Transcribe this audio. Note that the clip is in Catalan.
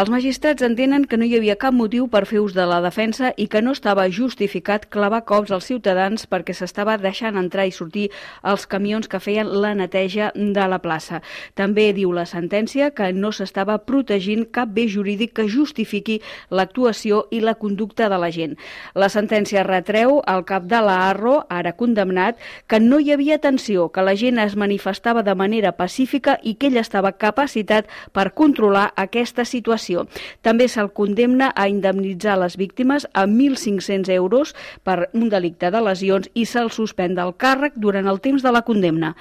Els magistrats entenen que no hi havia cap motiu per fer ús de la defensa i que no estava justificat clavar cops als ciutadans perquè s'estava deixant entrar i sortir els camions que feien la neteja de la plaça. També diu la sentència que no s'estava protegint cap bé jurídic que justifiqui l'actuació i la conducta de la gent. La sentència retreu al cap de la Arro, ara condemnat, que no hi havia tensió, que la gent es manifestava de manera pacífica i que ell estava capacitat per controlar aquesta situació. També se'l condemna a indemnitzar les víctimes a 1.500 euros per un delicte de lesions i se'l suspèn del càrrec durant el temps de la condemna.